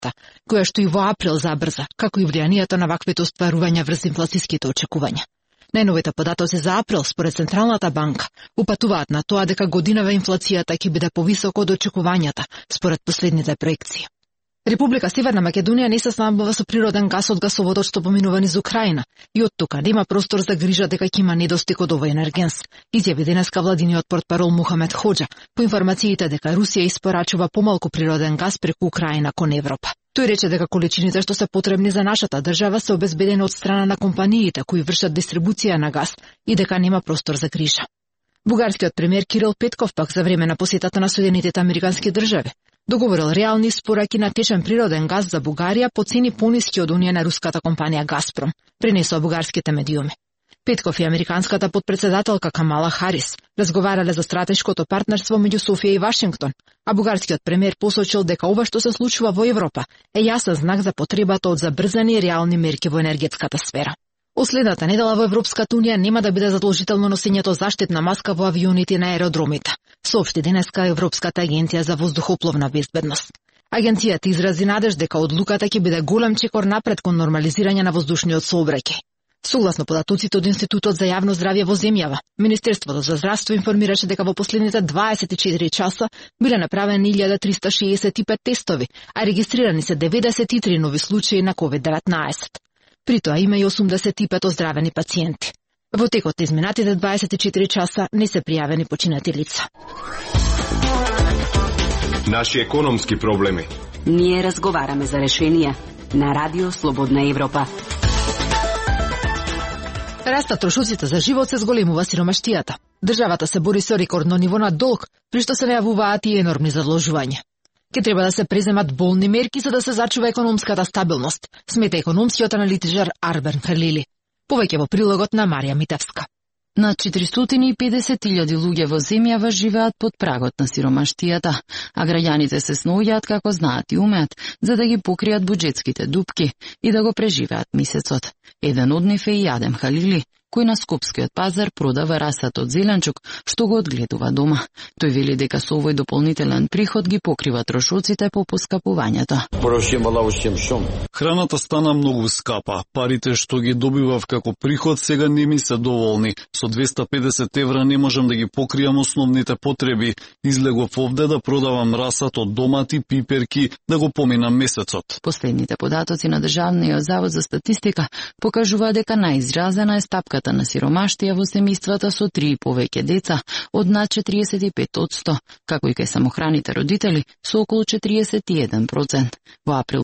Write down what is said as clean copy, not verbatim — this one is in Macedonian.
инфлацијата, која што и во април забрза, како и влијанието на ваквите остварувања врз инфлацијските очекувања. Најновите податоци за април, според Централната банка, упатуваат на тоа дека годинава инфлацијата ќе биде повисока од очекувањата, според последните проекции. Република Северна Македонија не се снабдува со природен гас од гасоводот што поминува низ Украина и од тука нема простор за грижа дека ќе има недостиг од овој енергенс, изјави денеска владиниот портпарол Мухамед Хоџа по информациите дека Русија испорачува помалку природен гас преку Украина кон Европа. Тој рече дека количините што се потребни за нашата држава се обезбедени од страна на компаниите кои вршат дистрибуција на газ и дека нема простор за грижа. Бугарскиот премиер Кирил Петков пак за време на посетата на Соединетите американски држави договорил реални испораки на течен природен газ за Бугарија по цени пониски од оние на руската компанија Газпром, пренесоа бугарските медиуми. Петков и американската подпредседателка Камала Харис разговарале за стратешкото партнерство меѓу Софија и Вашингтон, а бугарскиот премиер посочил дека ова што се случува во Европа е јасен знак за потребата од забрзани и реални мерки во енергетската сфера. Следната недела во Европската унија нема да биде задолжително носењето заштитна маска во авионите на аеродромите, соопшти денеска Европската агенција за воздухопловна безбедност. Агенцијата изрази надеж дека одлуката ќе биде голем чекор напред кон нормализирање на воздушниот сообраќај. Согласно податоците од Институтот за јавно здравје во земјава, Министерството за здравство информираше дека во последните 24 часа биле направени 1365 тестови, а регистрирани се 93 нови случаи на COVID-19. При тоа има и 85 оздравени пациенти. Во текот на изминатите 24 часа не се пријавени починати лица. Наши економски проблеми. Ние разговараме за решенија на Радио Слободна Европа. Растат трошоците за живот, се зголемува сиромаштијата. Државата се бори со рекордно ниво на долг, при што се најавуваат и енормни задолжувања. Ке треба да се преземат болни мерки за да се зачува економската стабилност, смета економскиот аналитичар Арбен Халили. Повеќе во прилогот на Марија Митевска. Над 450.000 луѓе во земјава живеат под прагот на сиромаштијата, а граѓаните се сноѓаат како знаат и умеат за да ги покријат буџетските дупки и да го преживеат месецот. Еден од нив е и Адем Халили, кој на скопскиот пазар продава расат од зеленчук, што го одгледува дома. Тој вели дека со овој дополнителен приход ги покрива трошоците по поскапувањето. Храната стана многу скапа. Парите што ги добивав како приход сега не ми се доволни. Со 250 евра не можам да ги покријам основните потреби. Излегов овде да продавам расат од домати, пиперки, да го поминам месецот. Последните податоци на Државниот завод за статистика покажува дека најизразена е стапката на сиромаштија во семејствата со 3 и повеќе деца од над 45%, како и кај самохраните родители со околу 41%. Во април